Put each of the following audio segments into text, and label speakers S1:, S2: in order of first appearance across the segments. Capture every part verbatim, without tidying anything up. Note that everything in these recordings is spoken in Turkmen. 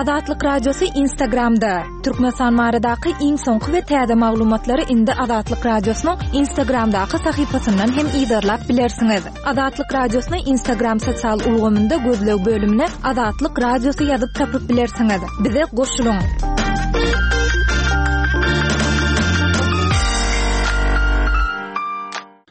S1: Azatlyk Radiosy Instagramda. Türkmenistan baradaky iň soňky we täze maglumatlary indi Azatlyk Radiosynyň Instagramdaky sahypasyndan hem yzarlap bilersiňiz. Azatlyk Radiosyny Instagram sosial ulgamynda gözleg bölümine Azatlyk Radiosy ýazyp tapyp bilersiňiz. Bize goşulyň.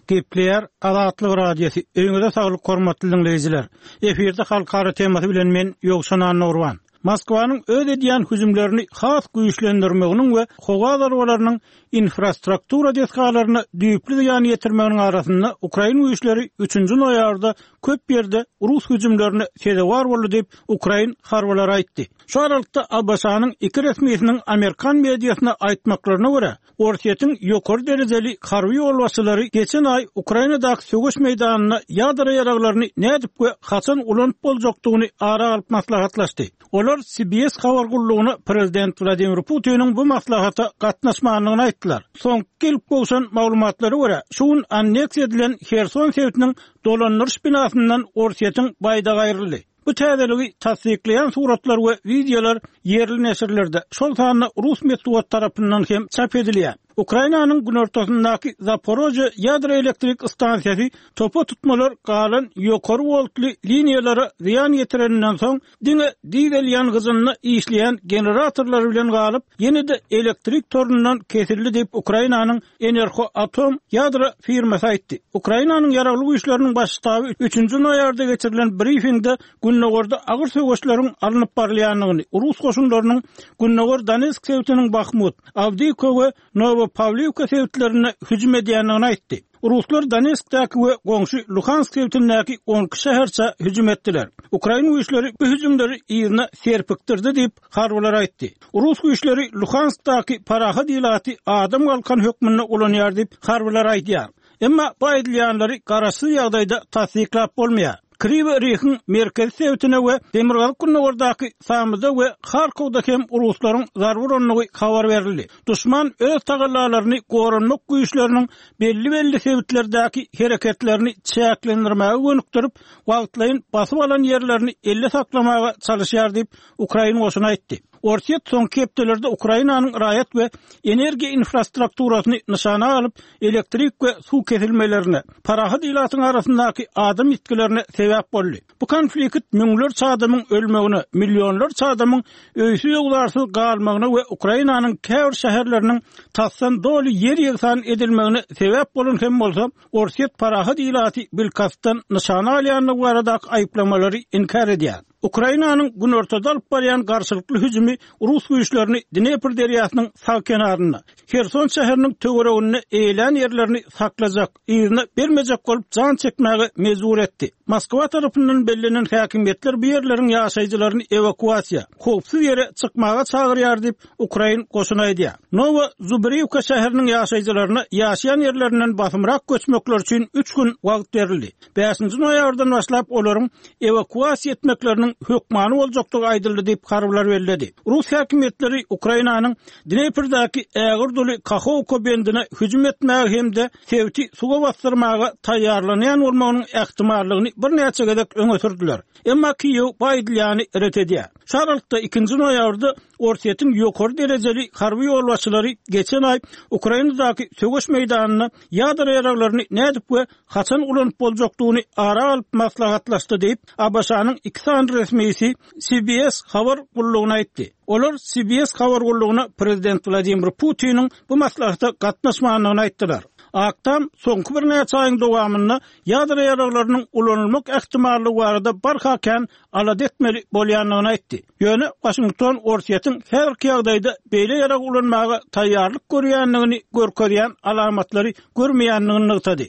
S2: Gepleýär Azatlyk Radiosy. Öýüňize saglyk hormatly dinleýjiler. Efirde halkara temasy bilen men Ýowşan Annurban. Moskwanyň öz edýän hüjümlerini has güýçlendirmeginiň we howa zarbalarynyň infrastruktura desgalaryna düýpli zyýan ýetirmeginiň arasynda Ukrain güýçleri üçünji noýabrda köp ýerde rus hüjümlerine sezewar boldy diýip Ukrain harbylary aýtdy. Şu aralykda A B Ş-nyň iki resmisiniň Amerikan mediasyna aýtmaklaryna görä, Orsýetiň ýokary derejeli harby ýolbaşçylary geçen aý Ukrainadaky söweş meýdanynda ýadro ýaraglaryny nädip we haçan ulanyp boljakdygyny ara alyp maslahatlaşdy. Olar C B S habar gullugyna prezident Wladimir Putiniň bu maslahata gatnaşmandygyny aýtdylar. Soň gelip gowşan maglumatlara görä, şu gün anneksiýa edilen Herson sebitiniň dolandyryş binasyndan Orsýetiň baýdagy aýryldy. Bu täzeligi tassyklaýan suratlar we wideolar ýerli neşirlerde, şol sanda rus metbugat tarapyndan hem çap edilýär. Ukrainanyň günortasyndaky Zaporoje ýadro elektrik stansiýasy topa tutmalar galan ýokary woltly liniýalara zyýan ýetireninden soň diňe dizel ýangyjynda işleýän generatorlar bilen galyp, ýene-de elektrik torundan kesildi diýip Ukrainanyň Energoatom ýadro firmasy aýtdy. Ukrainanyň ýaragly güýçleriniň baş ştaby üçünji noýabrda geçirilen brifingde Gündogarda agyr söweşleriň alnyp barylýandygyny, rus goşunlarynyň Gündogar Donetsk sebitiniň Bahmut, Awdiýewka we Nowopawliwka sebitlerine hüjüm edýändigini aýtdy. Ruslar Donetskdäki we goňşy Luhansk sebitindäki on iki şäherçe hüjüm etdiler. Ukrain güýçleri bu hüjümleri yzyna serpikdirdi diýip harbylar aýtdy. Rus güýçleri Luhanskdaky parahat ilaty adam galkan hökmünde ulanýar diýip harbylar aýdýar. Emma bu aýdylýanlary garaşsyz ýagdaýda tassyklap bolmaýar. Kriwi Rihiň merkezi sebitine we Demirgazyk Gündogardaky Samyda we Harkowda hem ruslaryň zarba urandygy habar berildi. Duşman öz tagallalaryny goranmak güýçleriniň belli-belli sebitlerdäki hereketlerini çäklendirmäge gönükdirip, wagtlaýyn basyp alan ýerlerini elle saklamaga çalışýar diýip Ukrain goşuny aýtdy. Orsýet soňky hepdelerde Ukrainanyň raýat we energiýa infrastrukturasyny nyşana alyp, elektrik we suw kesilmelerine, parahat ilatyň arasyndaky adam ýitgilerine sebäp boldy. Bu konflikt müňlerçe adamyň ölmegine, millionlarça adamyň öýsüz-öwzarsyz galmagyna we Ukrainanyň käbir şäherleriniň tasdan doly ýer ýegsan edilmegine sebäp bolan hem bolsa, Orsýet parahat ilaty bilkastdan nyşana alýandygy baradaky aýyplamalary inkär edýär. Ukrainanyň günortada alyp barýan garşylykly hüjümi rus güýçlerini Dnepr derýasynyň sag kenarynda, Herson şäheriniň töwereginde eýelän ýerlerini saklajak, yzyna bermejek bolup jan çekmäge mejbur etdi. Moskwa tarapyndan bellenen häkimiýetler bu ýerleriň ýaşaýjylaryny ewakuasiýa, howpsuz ýere çykmaga çagyrýar diýip Ukrain goşuny aýdýar. Nowa Zubriwka şäheriniň ýaşaýjylaryna ýaşaýan ýerlerinden basymrak göçmekler üçin üç gün wagt berildi. Bäşinji noýabrdan başlap olaryň ewakuasiýa etmekleriniň hökmany boljakdygy aýdyldy diýip harbylar belledi. Rus häkimiýetleri Ukrainanyň Dneprdäki ägir duly Kahovka bendine hüjüm etmäge hem-de sebiti suwa basdyrmaga taýýarlanýan bolmagynyň ähtimallygyny birnäçe gezek öňe sürdüler. Emma Kiýew bu aýdylýany ret edýär. Şu aralykda ikinji noýabrda Orsýetiň ýokary derejeli harby ýolbaşçylary geçen aý Ukrainadaky söweş meýdanynda ýadro ýaraglaryny nädip we haçan ulanyp boljakdygyny ara alyp maslahatlaşdy diýip A B Ş-nyň iki sany resmisi C B S habar gullugyna aýtdy. Olar C B S habar gullugyna prezident Wladimir Putiniň bu maslahata gatnaşmandygyny aýtdylar. Ak Tam soňky birnäçe aýyň dowamynda ýadro ýaraglarynyň ulanylmak ähtimallygy barada barha kän alada etmeli bolýandygyny aýtdy. Ýöne Washington Orsýetiň häzirki ýagdaýda beýle ýarag ulanmaga taýýarlyk görýändigini görkezýän alamatlary görmeýändigini nygtady.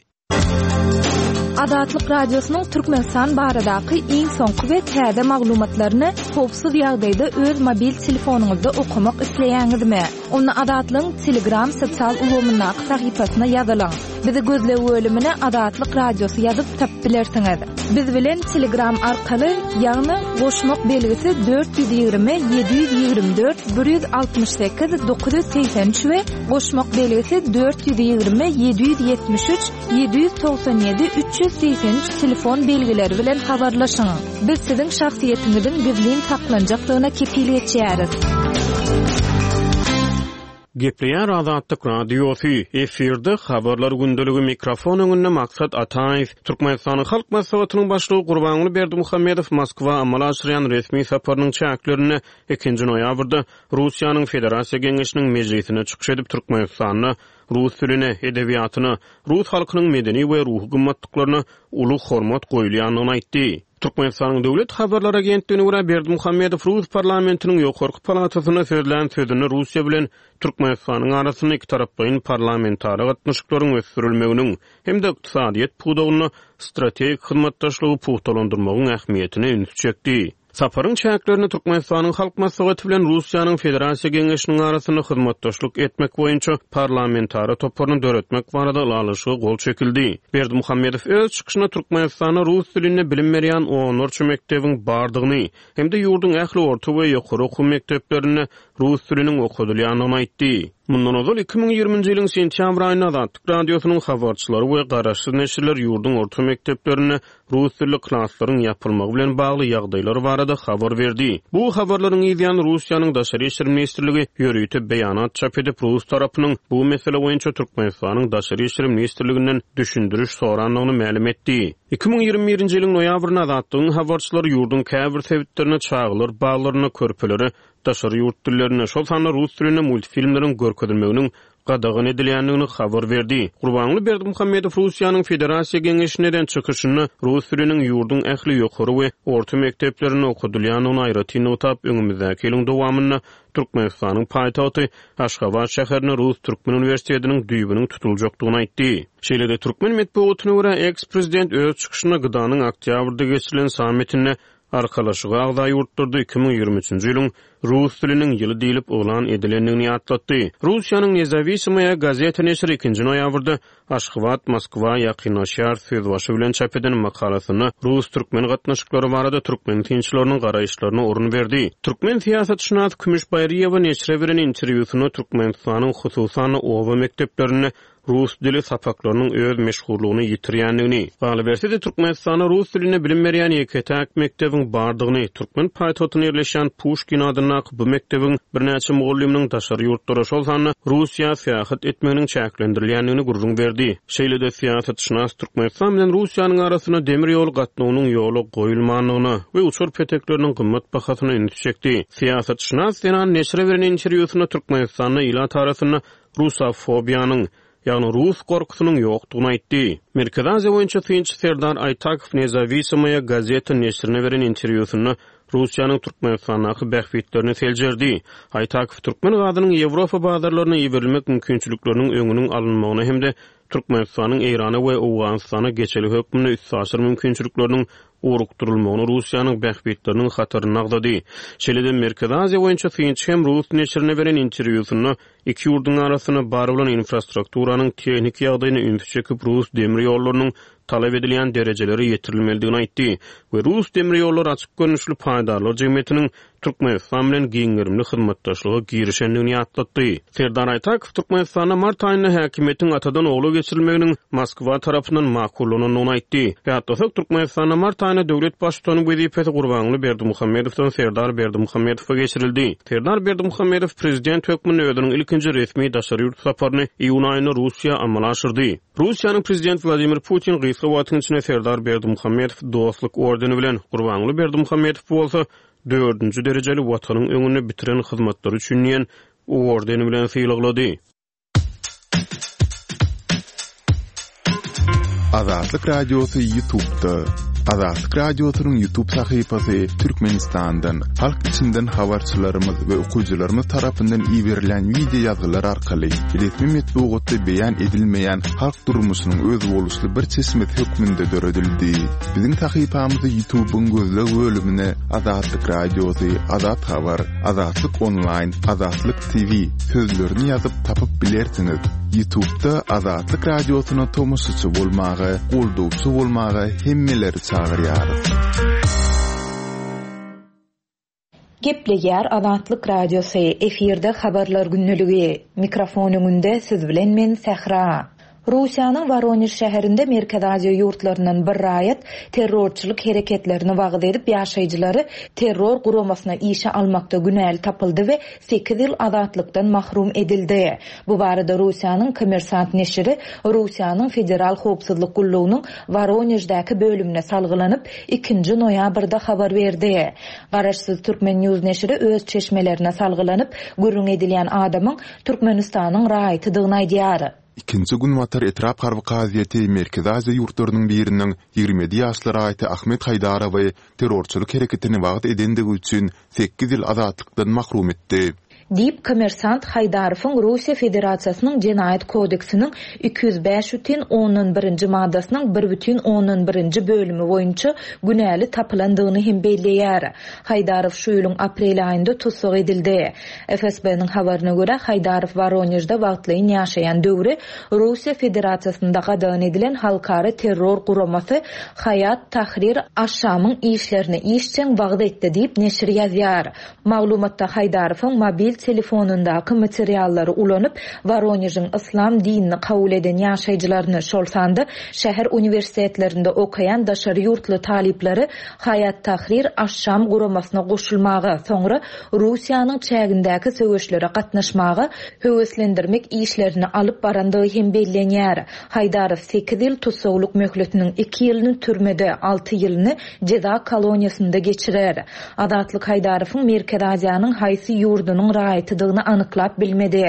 S1: Azatlyk Radiosynyň Türkmenistan baradaky iň soňky we täze maglumatlaryny howpsuz ýagdaýda öz mobil telefonyňyzda okamak isleýäňizmi? Onda Azatlygyň Telegram sosial ulgamyndaky sahypasyna ýazylyň. Bizi gözleg bölümine Azatlyk Radiosy ýazyp tapyp bilersiňiz. Biz bilen Telegram arkaly, ýagny goşmak belgisi dört ýüz ýigrimi ýedi ýüz ýigrimi dört bir ýüz altmyş sekiz dokuz ýüz segsen üç we goşmak belgisi dört ýüz ýigrimi ýedi ýüz ýetmiş üç ýedi ýüz togsan ýedi üç ýüz segsen üç telefon belgileri bilen habarlaşyň. Biz siziň şahsyýetiňiziň gizlin saklanjakdygyna kepil geçýäris.
S3: Gepleýär Azatlyk Radiosy, efirde habarlar gündeligi, mikrofon öňünde Maksat Ataýew. Türkmenistanyň Halk Maslahatynyň başlygy Gurbanguly Berdimuhamedow Moskwa amala aşyrýan resmi saparynyň çäklerinde ikinji noýabrda Russiýanyň Federasiýa Geňeşiniň mejlisine çykyş edip, Türkmenistanda rus diline, edebiýatyna, rus halkynyň medeni we ruhy gymmatlyklaryna uly hormat goýulýandygyny aýtdy. Türkmenistanyň Döwlet Habarlar Agentligine görä, Berdimuhamedow Rus parlamentiniň ýokarky palatasynda sözlän sözünde Russiýa bilen Türkmenistanyň arasynda iki taraplaýyn parlamentara gatnaşyklaryň ösdürilmeginiň hem-de ykdysadyýet pudagynda strategik hyzmatdaşlygy pugtalandyrmagyň ähmiýetine üns çekdi. Saparyň çäklerinde Türkmenistanyň Halk Maslahaty bilen Russiýanyň Federasiýa Geňeşiniň arasynda hyzmatdaşlyk etmek boýunça parlamentara toparyny döretmek barada ylalaşyga gol çekildi. Berdimuhamedow öz çykyşynda Türkmenistanda rus dilinde bilim berýän onlarça mekdebiň bardygyny hem-de ýurduň ähli orta we ýokary okuw mekdeplerinde rus diliniň okadylýandygyny aýtdy. Mundan ozal iki müň ýigriminji ýylyň sentýabr aýynda Azatlyk Radiosynyň habarçylary we garaşsyz neşirler ýurduň orta mekdeplerinde rus dilli klaslaryň ýapylmagy bilen bagly ýagdaýlar barada habar berdi. Bu habarlaryň ýany Russiýanyň Daşary İşler Ministrligi ýörite beýanat çap edip, Rus tarapynyň bu mesele boýunça Türkmenistanyň Daşary İşler Ministrliginden düşündiriş sorandygyny mälim etdi. Iki müň ýigrimi birinji ýylyň noýabrynda Azatlygyň habarçylary ýurduň käbir sebitlerine çagalar baglaryna, körpelere daşary ýurt dillerinde, şol sanda rus dilinde multfilmleriň görkezilmeginiň gadagan edilýändigini habar berdi. Gurbanguly Berdimuhamedow Russiýanyň Federasiýa Geňeşinden çykyşynda rus diliniň ýurduň ähli ýokary we orta mekdeplerinde okadylýandygyny aýratyn nygtap, öňümizdäki ýylyň dowamynda Türkmenistanyň paýtagty Aşgabat şäherinde Rus-Türkmen uniwersitetiniň düýbüniň tutuljakdygyny aýtdy. Şeýle-de türkmen metbugatyna görä eks-prezident öz çykyşynda Gdanyň oktýabrda geçirilen sammitinde Arkalaşyga agza ýurtlarda iki müň ýigrimi üçünji ýylyň rus diliniň ýyly diýlip yglan edilendigini ýatlatdy. Russiýanyň Nezavisimaya gazeti neşiri ikinji noýabrda Aşgabat Moskwa ýakynlaşýar sözbaşy bilen çap eden makalasynda rus-türkmen gatnaşyklary barada türkmen synçylarynyň garaýyşlaryna orun berdi. Türkmen syýasatşynas Kümüş Baýryýewa neşire beren interwýusynda Türkmenistanyň hususan oba mekdeplerinde rus dili sapaklarynyň öz meşhurlygyny ýitirýändigini, galyberse-de Türkmenistanda rus dilinde bilim berýän ýeke-täk mekdebiň bardygyny, türkmen paýtagtynda ýerleşýän Puşkin adyndaky bu mekdebiň birnäçe mugallymynyň daşary ýurtlara, şol sanda Russiýa syýahat etmeginiň çäklendirilýändigini gürrüň berdi. Şeýle-de syýasatşynas Türkmenistan bilen Russiýanyň arasynda demir ýol gatnawynyň ýola goýulmandygyna we uçar petekleriniň gymmat bahasyna üns çekdi. Syýasatşynas zenan neşire beren interwýusynda Türkmenistanda ilat arasynda rusofobiýanyň, ýagny rus gorkusynyň ýokdugyny aýtdy. Merkezi Aziýa boýunça synçy Serdar Aýtakow Nezavisimaya gazeti neşirine beren interwýusynda Russiýanyň Türkmenistandaky bähbitlerini seljerdi. Aýtakow türkmen gazynyň Ýewropa bazarlaryna iberilmek mümkinçilikleriniň öňüniň alynmagyna hem-de Türkmenistanyň Eýrana we Owganystana geçeli hökmünde üstaşyr mümkinçilikleriniň ugrukdyrylmagyny Russiýanyň bähbitleriniň hatarynda agzady. Şeýle-de Merkezi Aziýa boýunça synçy hem rus neşirine beren interwýusynda iki ýurduň arasynda bar bolan infrastrukturanyň tehniki ýagdaýyny üns çekip, rus demir ýollarynyň talap edilýän derejelere ýetirilmelidigini aýtdy we rus demir ýollary açyk görnüşli paýdarlar jemgyýetiniň Türkmenistan bilen giň gerimli hyzmatdaşlyga girişendigini ýatlatdy. Serdar Aýtakow Türkmenistanda mart aýynda häkimiýetiň atadan ogla geçirilmeginiň Moskwa tarapyndan makullanandygyny aýtdy. Ýatlasak, Türkmenistanda mart aýynda döwlet baştutany wezipesi Gurbanguly Berdimuhamedowdan Serdar Berdimuhamedowa geçirildi. Serdar Berdimuhamedow prezident hökmünde özüniň ilkinji resmi daşary ýurt saparyny iýun aýynda Russiýa amala aşyrdy. Russiýanyň prezident Wladimir Putin gysga wagtyň içinde Serdar Berdimuhamedow dostluk ordeni bilen, Gurbanguly Berdimuhamedow bolsa dördünji derejeli watanyň öňünde bitiren hyzmatlary üçin diýen ordeni bilen sylaglady.
S4: Azatlyk Radiosy YouTube'da. Azatlyk Radiosynyň YouTube sahypasy Türkmenistandan, halk içinden habarçylarymyz we okyjylarymyz tarapyndan iberilen video ýazgylar arkaly resmi metbugatda beýan edilmeýän halk durmuşynyň özboluşly bir çeşmesi hökmünde döredildi. Biziň sahypamyzy YouTube'yň gözleg bölümine Azatlyk Radiosy, Azat Habar, Azatlyk Online, Azatlyk T V sözlerini ýazyp tapyp bilersiňiz. YouTube'da Azatlyk Radiosyna tomaşaçy bolmaga, goldawçy bolmaga hemmeleri çagyrýarys.
S1: Gepleýär Azatlyk Radiosy, efirde habarlar günlügi. Mikrofon öňünde siz bilen men Sähra. Russiýanyň Woronej şäherinde Merkezi Aziýa ýurtlaryndan bir raýat terrorçylyk hereketlerini wagyz edip ýaşaýjylary terror guramasyna işe almakda günäli tapyldy we sekiz ýyl azatlykdan mahrum edildi. Bu barada Russiýanyň Kommersant neşiri Russiýanyň Federal Howpsuzlyk gullugynyň Woronejdäki bölümine salgylanyp ikinji noýabrda habar berdi. Garaşsyz Türkmen News neşiri öz çeşmelerine salgylanyp gürrüň edilýän adamyň Türkmenistanyň raýatydygyny aýdýar.
S4: Ikinji Günbatar etrap harby kazyýeti Merkezi Aziýa ýurtlarynyň biriniň ýigrimi ýedi ýaşly raýaty Ahmet Haýdarowy terrorçylyk hereketini wagyz edendigi üçin sekiz ýyl azatlykdan mahrum etdi.
S1: Diýip, Kommersant Haýdarowyň Russiýa Federasiýasynyň Jenaýat kodeksiniň iki ýüz bäş bütin ondan birinji maddasynyň bir bütin ondan birinji bölümi boýunça günäli tapylandygyny hem belleýär. Haýdarow şu ýylyň aprel aýynda tussag edildi. F S B-niň habaryna görä, Haýdarow Woronejde wagtlaýyn ýaşaýan döwri Russiýa Federasiýasynda gadagan edilen halkara terror guramasy Hayat Tahrir Aşşamyň işlerini işjeň wagyz etdi diýip neşir ýazýar. Maglumatda Haýdarowyň mobil telefonundaky materiallary ulanyp, Woronejiň yslam dinini kabul eden ýaşaýjylaryny, şol sanda şäher uniwersitetlerinde okaýan daşary ýurtly talyplary Hayat Tahrir Aşşam guramasyna goşulmaga, soňra Russiýanyň çägindäki söweşlere gatnaşmaga höweslendirmek işlerini alyp barandygy hem bellenýär. Haýdarow sekiz ýyl tussaglyk möhletiniň iki ýylyny türmede, alty ýylyny jeza koloniýasynda geçirer. Azatlyk Haýdarowyň Merkezi Aziýanyň haýsy ýurdunyň raýatydygyny anyklap bilmedi.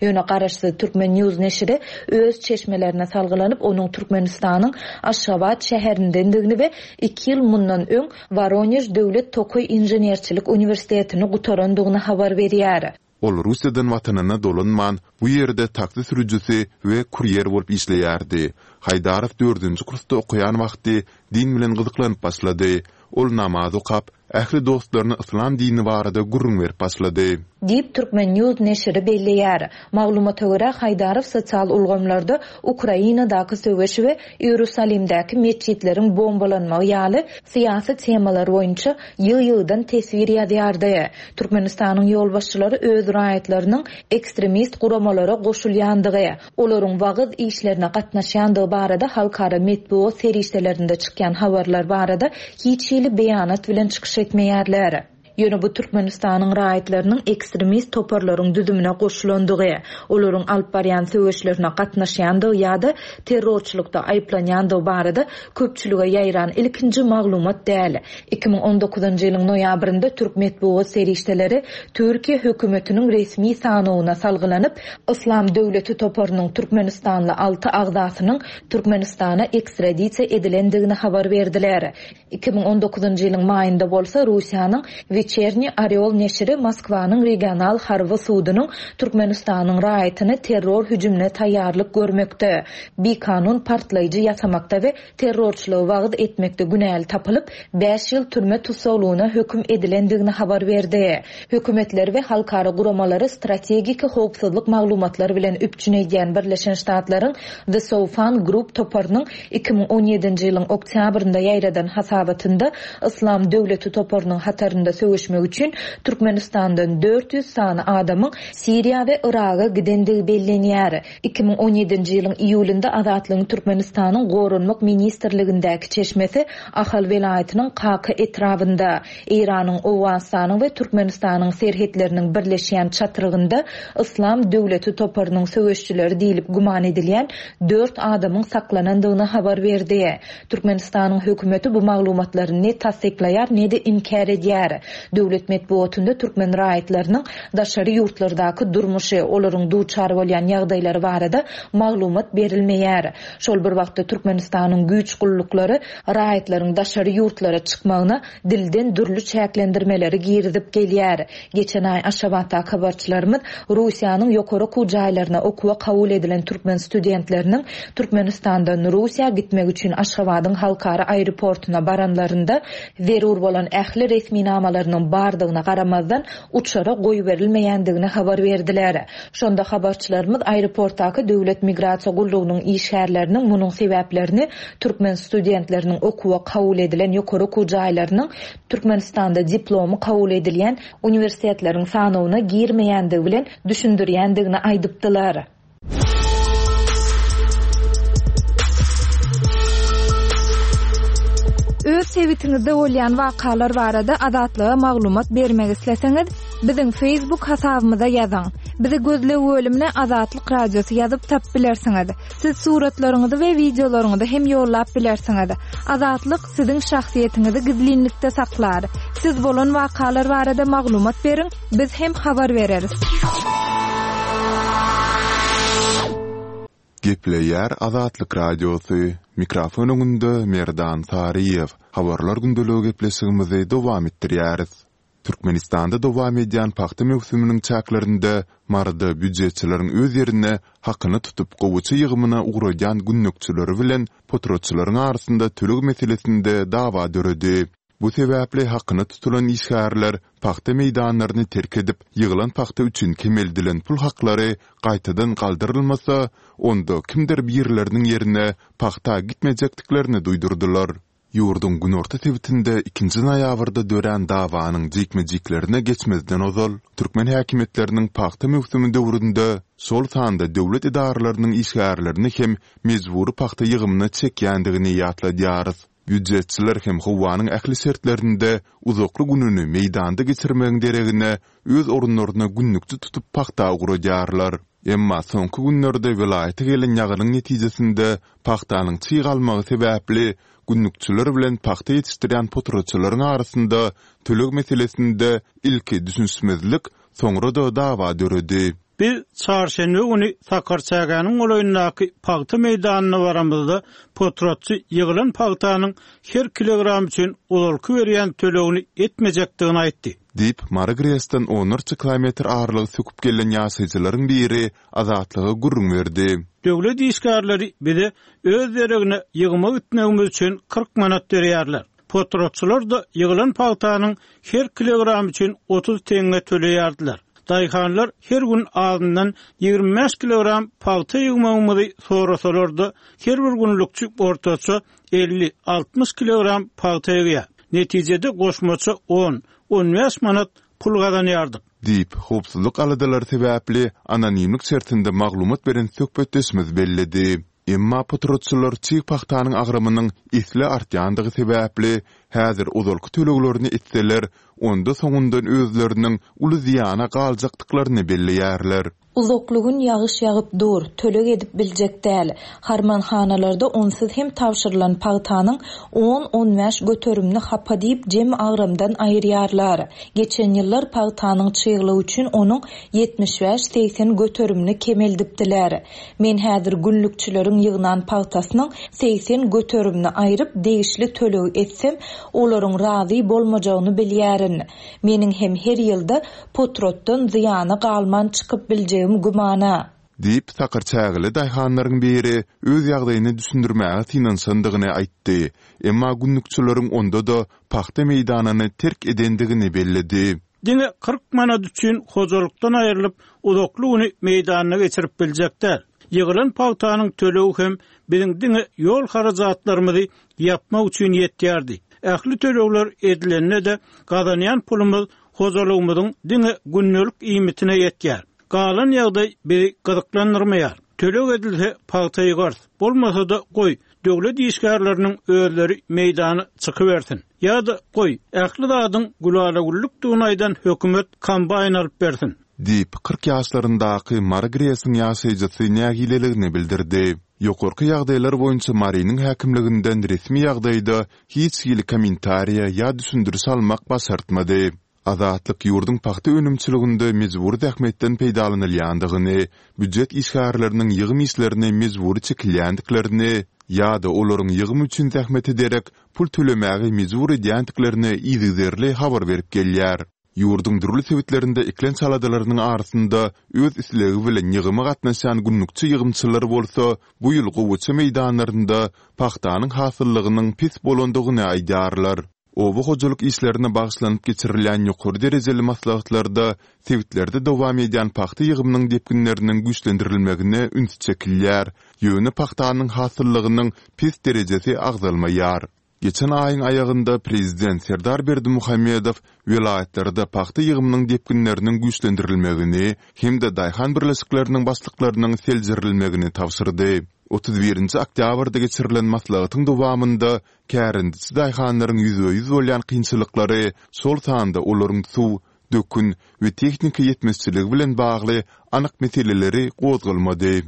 S1: Ýöne garaşsyz Türkmen News neşiri öz çeşmelerine salgylanyp, onuň Türkmenistanyň Aşgabat şäherindendigini we iki ýyl mundan öň Woronej Döwlet Tokaý Inženerçilik Uniwersitetini gutarandygyny habar berýär.
S4: Ol Russiýadan watanyna dolanman, bu ýerde taksi sürüjisi we kurýer bolup işleýärdi. Haýdarow dördünji kursda okaýan wagty din bilen gyzyklanyp başlady. Ol namaz okap, ähli dostlaryna yslam dini barada gürrüň berip başlady.
S1: Diýip Türkmen News neşiri belleýär. Maglumata görä, Haýdarow sosial ulgamlarda Ukrainadaky söweş we Iýerusalimdäki metjitleriň bombalanmagy ýaly syýasy temalar boýunça ýygy-ýygydan teswir ýazýardy. Türkmenistanyň ýolbaşçylary öz raýatlarynyň ekstremist guramalara goşulýandygy, olaryň wagyz işlerine gatnaşýandygy barada halkara metbugat serişdelerinde çykýan habarlar barada hiç hili beýanat bilen çykyş etmeýärler. Ýöne bu Türkmenistanyň raýatlarynyň ekstremist toparlaryň düzümine goşulandygy, olaryň alyp barýan söweşlerine gatnaşýandygy ýa-da terrorçylykda aýyplanýandygy barada köpçülige ýaýran ilkinji maglumat däl. iki müň on dokuzynjy ýylyň noýabrynda Türk metbugat serişdeleri Türkiýe hökümetiniň resmi sanawyna salgylanyp, Yslam döwleti toparynyň Türkmenistanly alty agzasynyň Türkmenistana ekstradisiýa edilendigini habar berdiler. iki müň on dokuzynjy ýylyň maýynda bolsa Russiýanyň Weçerni Orel neşiri Moskwanyň regional harby sudunyň Türkmenistanyň raýatyny terror hüjümine taýýarlyk görmekde, bikanun partlaýjy ýasamakda we terrorçylygy wagyz etmekde günäli tapylyp, bäş ýyl türme tussaglygyna höküm edilendigini habar berdi. Hökümetleri we halkara guramalary strategik howpsuzlyk maglumatlary bilen üpjün edýän Birleşen Ştatlaryň The Soufan Group toparynyň iki müň on ýedinji ýylyň oktýabrynda ýaýradan hasabatynda Yslam döwleti toparynyň hatarynda söweşmek üçin Türkmenistandan dört ýüz sany adamyň Siriýa we Iraga gidendigi bellenýär. iki müň on ýedinji ýylyň iýulynda Azatlygyň Türkmenistanyň Goranmak Ministrligindäki çeşmesi Ahal welaýatynyň Kaka etrabynda, Eýranyň, Owganystanyň we Türkmenistanyň serhetleriniň birleşýän çatrygynda Yslam döwleti toparynyň söweşçileri diýlip güman edilýän dört adamyň saklanandygyny habar berdi. Türkmenistanyň hökümeti bu maglumatlary ne tassyklaýar, ne de inkär edýär. Döwlet metbugatynda türkmen raýatlarynyň daşary ýurtlardaky durmuşy, olaryň duçar bolýan ýagdaýlary barada maglumat berilmeýär. Şol bir wagtda Türkmenistanyň güýç gulluklary raýatlaryň daşary ýurtlara çykmagyna dilden dürli çäklendirmeleri girizip gelýär. Geçen aý Aşgabatdaky habarçylarymyz Russiýanyň ýokary okuw jaýlaryna okuwa kabul edilen türkmen studentleriniň Türkmenistandan Russiýa gitmek üçin Aşgabadyň halkara aeroportuna baranlarynda zerur bolan ähli resminamalarynyň pasportynyň bardygyna garamazdan, uçara goýberilmeýändigini habar berdiler. Şonda habarçylarymyz aeroportdaky Döwlet migrasiýa gullugynyň işgärleriniň munuň sebäplerini türkmen studentleriniň okuwa kabul edilen ýokary okuw jaýlarynyň Türkmenistanda diplomy kabul edilýän uniwersitetleriň sanawyna girmeýändigi bilen düşündirýändigini aýdypdylar. Öz sebitiňizde bolýan wakalar barada Azatlyga maglumat bermek isleseňiz, biziň Facebook hasabymyza ýazyň. Bizi gözleg bölümine Azatlyk Radiosy ýazyp tapyp bilersiňiz. Siz suratlaryňyzy we wideolaryňyzy hem ýollap bilersiňiz. Azatlyk siziň şahsyýetiňizi gizlinlikde saklar. Siz bolan wakalar barada maglumat beriň, biz hem habar bereris.
S4: Gepleýär Azatlyk Radiosy, mikrofon öňünde Merdan Saryýew. Habarlar gündeligi gepleşigimizi dowam etdirýäris. Türkmenistanda dowam edýän pagta möwsüminiň çäklerinde Maryda býujetçileriň öz ýerine hakyna tutup gowaça ýygymyna ugradýan günlükçileri bilen potratçylaryň arasynda töleg meselesinde dawa döredi. Bu sebäpli hakyna tutulan işgärler pagta meýdanlaryny terk edip, ýygylan pagta üçin kemeldilen pul haklary gaýtadan galdyrylmasa, onda kimdir birleriniň ýerine pagta gitmejekdiklerini duýdurdylar. Ýurduň günorta sebitinde ikinji noýabrda dörän dawanyň jikme-jiklerine geçmezden ozal, türkmen häkimiýetleriniň pagta möwsümi döwründe, şol sanda döwlet edaralarynyň işgärlerini hem mejbury pagta ýygymyna çekýändigini ýatladýarys. Býujetçiler hem howanyň ähli şertlerinde uzakly gününi meýdanda geçirmegiň deregine öz orunlaryna günlükçi tutup pagta ugradýarlar. Emma soňky günlerde welaýata gelen ýagynyň netijesinde pagtanyň çyg almagy sebäpli günlükçiler bilen pagta ýetişdirýän potratçylaryň arasynda töleg meselesinde ilki düşünişmezlik, soňra-da dawa döredi.
S2: Biz çarşenbe güni Sakarçägäniň golaýyndaky pagta meýdanyna baramyzda, potratçy ýygylan pagtanyň her kilogram üçin ozalky berýän tölegini etmejekdigini aýtdy.
S4: Diýip, Mary GRES-den onlarça kilometr aralygy söküp gelen ýaşaýjylaryň biri Azatlyga gürrüň berdi.
S2: Döwlet işgärleri bize öz deregine ýygyma gitmegimiz üçin kyrk manat berýärler. Potratçylar-da ýygylan pagtanyň her kilogramy üçin otuz teňňe töleýärdiler. Daýhanlar her gün azyndan ýigrimi bäş kilogram pagta ýygmagymyzy sorasalar-da, her bir günlükçi ortaça elli, altmyş kilogram pagta ýygýar. Netijede goşmaça on, on bäş manat pul gazanýardyk.
S4: Diýip, howpsuzlyk aladalary sebäpli anonimlik şertinde maglumat beren söhbetdeşimiz belledi. Emma potratçylar çig pagtanyň agramynyň esli artýandygy sebäpli, häzir ozalky töleglerini etseler, onda soňundan özleriniň uly zyýana galjakdyklaryny belleýärler.
S1: Uzakly gün ýagyş ýagyp dur, töleg edip biljek däl. Harmanhanalarda onsuz hem tabşyrylan pagtanyň on-on bäş göterimini hapa diýip jem agramdan aýyrýarlar. Geçen ýyllar pagtanyň çyglygy üçin onuň ýetmiş bäş-segsen göterimini kemeldipdiler. Men häzir günlükçileriň ýygnan pagtasynyň segsen göterimini aýryp degişli töleg etsem, olaryň razy bolmajagyny bilýärin. Meniň hem her ýylda potratdan zyýana galman çykyp biljegim gümana.
S4: Diýip, Sakarçägeli daýhanlaryň biri öz ýagdaýyny düşündirmäge synanyşandygyny aýtdy. Emma günlükçileriň onda-da pagta meýdanyny terk edendigini belledi.
S2: Diňe kyrk manat üçin hojalykdan aýrylyp, uzakly güni meýdanda geçirip biljek däl. Ýygylan pagtanyň tölegi hem biziň diňe ýol harajatlarymyzy ýapmak üçin ýetýärdi. Ähli tölegler edilende-de gazanýan pulumyz hojalygymyzyň diňe gündelik iýmitine ýetýär. Galan ýagdaý bizi gyzyklandyrmaýar. Töleg edilse pagta ýygarys. Bolmasa-da goý, döwlet işgärleriniň özleri meýdana çykybersin. Ýa-da goý, ähli zadyň gülala-güllükdigini aýdan hökümet kombaýn alyp bersin.
S4: Diýip, kyrk ýaşlaryndaky Mary GRES-iň ýaşaýjysy nägileligini bildirdi. Ýokarky ýagdaýlar boýunça Marynyň häkimliginden resmi ýagdaýda hiç hili kommentariýa ýa düşündiriş almak başartmady. Azatlyk ýurduň pagta önümçiliginde mejbury zähmetden peýdalanylýandygyny, býujet işgärleriniň ýygym işlerine mejbury çekilýändiklerini ýa-da olaryň ýygym üçin zähmete derek pul tölemäge mejbur edýändiklerini yzygiderli habar berip gelýär. Ýurduň dürli sebitlerinde eklenç aladalarynyň arasynda öz islegi bilen ýygyma gatnaşýan günlükçi ýygymçylar bolsa bu ýyl gowaça meýdanlarynda pagtanyň hasyllygynyň pes bolandygyny aýdýarlar. Oba hojalyk işlerine bagyşlanyp geçirilýän ýokary derejeli maslahatlarda sebitlerde dowam edýän pagta ýygymynyň depginleriniň güýçlendirilmegine üns çekilýär, ýöne pagtanyň hasyllygynyň pes derejesi agzalmaýar. Geçen aýyň aýagynda prezident Serdar Berdimuhamedow welaýatlarda pagta ýygymynyň depginleriniň güýçlendirilmegini hem-de daýhan birleşikleriniň başlyklarynyň seljerilmegini tabşyrdy. Otuz birinji oktýabrda geçirilen maslahatyň dowamynda kärendeçi daýhanlaryň ýüzbe-ýüz bolýan kynçylyklary, şol sanda olaryň suw, dökün we tehnika ýetmezçiligi bilen bagly anyk meseleleri gozgalmady.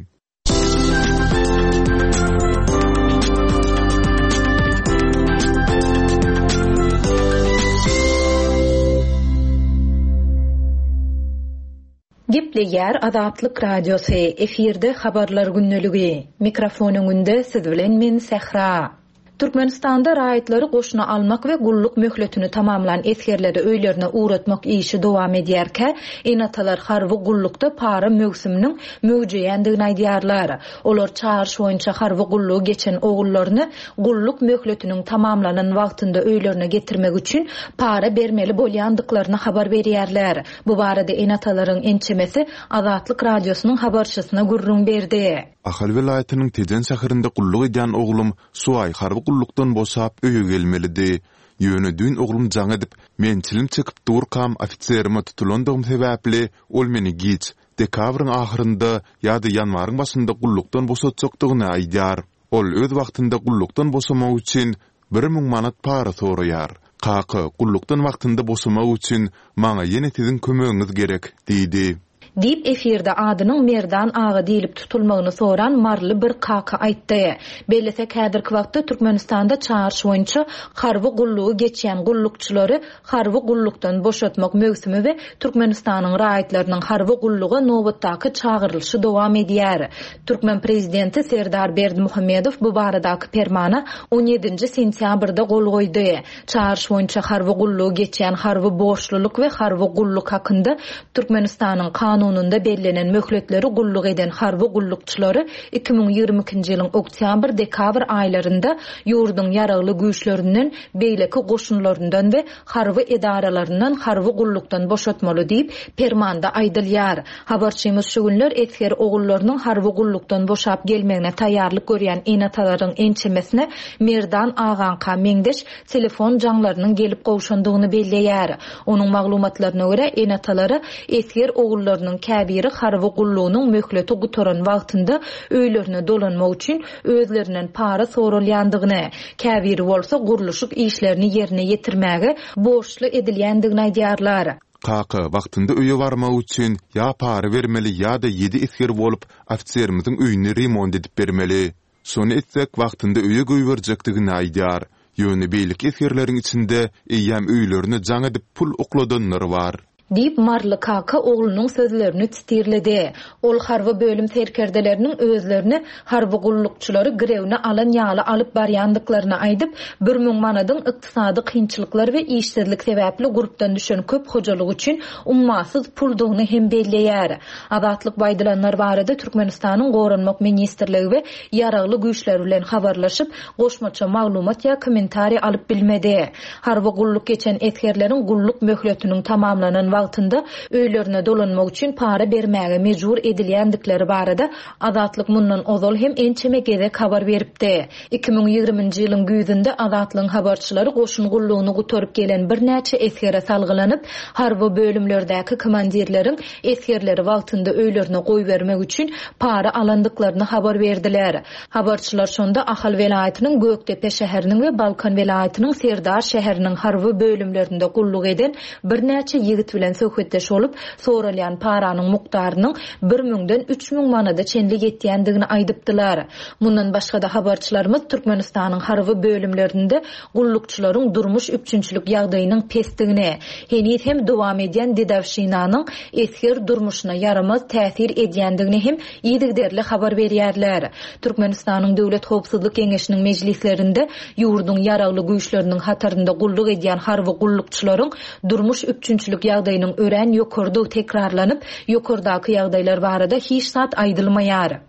S1: Gepleýär Azatlyk Radiosy, efirde Habarlar gündeligi. Mikrofon öňünde siz bilen men Sähra. Türkmenistanda raýatlary goşuna almak we gulluk möhletini tamamlan esgerleri öýlerine ugratmak işi dowam edýärkä, ene-atalar harby gullukda para möwsüminiň möwjeýändigini aýdýarlar. Olar çagyryş boýunça harby gullugy geçen ogullaryny gulluk möhletiniň tamamlanan wagtynda öýlerine getirmek üçin para bermeli bolýandyklaryny habar berýärler. Bu barada ene-atalaryň ençemesi Azatlyk Radiosynyň habarçysyna gürrüň berdi.
S4: Ahal welaýatynyň Tejen şäherinde gulluk edýän oglum şu aý harby gullukdan boşap öýe gelmelidi. Ýöne düýn oglum jaň edip, men çilim çekip durkam ofiserime tutulandygym sebäpli ol meni giç, dekabryň ahyrynda ýa-da ýanwaryň başynda gullukdan boşatjakdygyny aýdýar. Ol öz wagtynda gullukdan boşamak üçin bir müň manat para soraýar. Kaka, gullukdan wagtynda boşamak üçin maňa ýene siziň kömegiňiz gerek, diýdi.
S1: Diýip, efirde adynyň Merdan aga diýlip tutulmagyny soran maryly bir kaka aýtdy. Bellesek, häzirki wagtda Türkmenistanda çagyryş boýunça harby gullugy geçýän gullukçylary harby gullukdan boşatmak möwsümi we Türkmenistanyň raýatlarynyň harby gulluga nobatdaky çagyrylyşy dowam edýär. Türkmen prezidenti Serdar Berdimuhamedow bu baradaky permana on ýedinji sentýabrda gol goýdy. Çagyryş boýunça harby gullugy geçýän harby borçlulyk we harby gulluk hakynda Türkmenistanyň kanunynda bellenen möhletleri gulluk eden harby gullukçylary iki müň ýigrimi ikinji ýylyň oktýabr-dekabr aýlarynda ýurduň ýaragly güýçlerinden, beýleki goşunlaryndan we harby edaralaryndan harby gullukdan boşatmaly diýip, permanda aýdylýar. Habarçymyz şu günler esger ogullarynyň harby gullukdan boşap gelmegine taýýarlyk görýän ene-atalaryň ençemesine Merdan agaňka meňzeş telefon jaňlarynyň gelip gowşandygyny belleýär. Onuň maglumatlaryna görä, ene-atalara esger ogullarynyň käbiri harby gullugynyň möhleti gutaran wagtynda öýlerine dolanmak üçin özlerinden para soralýandygyny, käbiri bolsa gurluşyk işlerini ýerine ýetirmäge borçly edilýändigini aýdýarlar.
S4: Kaka, wagtynda öýe barmak üçin ýa para bermeli ýa-da ýedi esger bolup, ofiserimiziň öýüni remont edip bermeli. Şony etsek, wagtynda öýe goýberjekdigini aýdýar. Ýöne beýleki esgerleriň içinde eýýäm öýlerine jaň edip pul okladanlar bar.
S1: Diýip, maryly kaka oglunyň sözlerini titirledi. Ol harby bölüm serkerdeleriniň özlerini harby gullukçylary girewine alan ýaly alyp barýandyklaryny aýdyp, bir müň manadyň ykdysady kynçylyklar we işsizlik sebäpli gurpdan düşen köp hojalyk üçin ummasyz puldugyny hem belleýär. Azatlyk bu aýdylanlar barada Türkmenistanyň Goranmak ministrligi we ýaragly güýçler bilen habarlaşyp, goşmaça maglumat ýa kommentariý alyp bilmedi. Harby gulluk geçen esgerleriň gulluk möhletiniň tamamlanan wagtynda öýlerine dolanmak üçin para bermäge mejbur edilýändikleri barada Azatlyk mundan ozal hem ençeme gezek habar beripdi. Iki müň ýigriminji ýylyň güýzünde Azatlygyň habarçylary goşun gullugyny gutaryp gelen birnäçe esgere salgylanyp, harby bölümlerdäki komandirleriň esgerleri wagtynda öýlerine goýbermek üçin para alandyklaryny habar berdiler. Habarçylar şonda Ahal welaýatynyň Gökdepe şäheriniň we Balkan welaýatynyň Serdar şäheriniň harby bölümlerinde gulluk eden birnäçe ýigit bilen söhbetdeş bolup, soralýan paranyň mukdarynyň bir müňden üç müň manada çenli ýetýändigini aýdypdylar. Mundan başga-da habarçylarymyz Türkmenistanyň harby bölümlerinde gullukçylaryň durmuş üpjünçilik ýagdaýynyň pesdigini, heniz hem dowam edýän dedowşinanyň esger durmuşyna ýaramaz täsir edýändigini hem yzygiderli habar berýärler. Türkmenistanyň Döwlet Howpsuzlyk Geňeşiniň mejlislerinde ýurduň ýaragly güýçleriniň hatarynda gulluk edýän harby gullukçylaryň durmuş üpjünçilik ýagdaýynyň örän ýokardygy tekrarlanyp, ýokardaky ýagdaýlar barada hiç zat aýdylmaýar.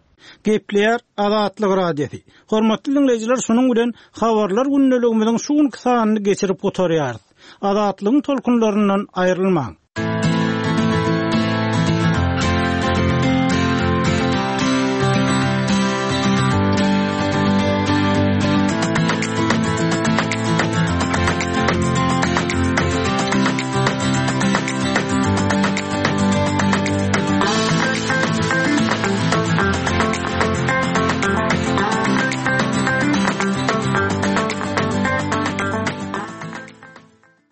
S2: Gepleýär Azatlyk Radiosy. Hormatly diňleýjiler, şunuň bilen habarlar gündeligimiziň şu günki sanyny geçirip gutarýarys. Azatlygyň tolkunlaryndan aýrylmaň.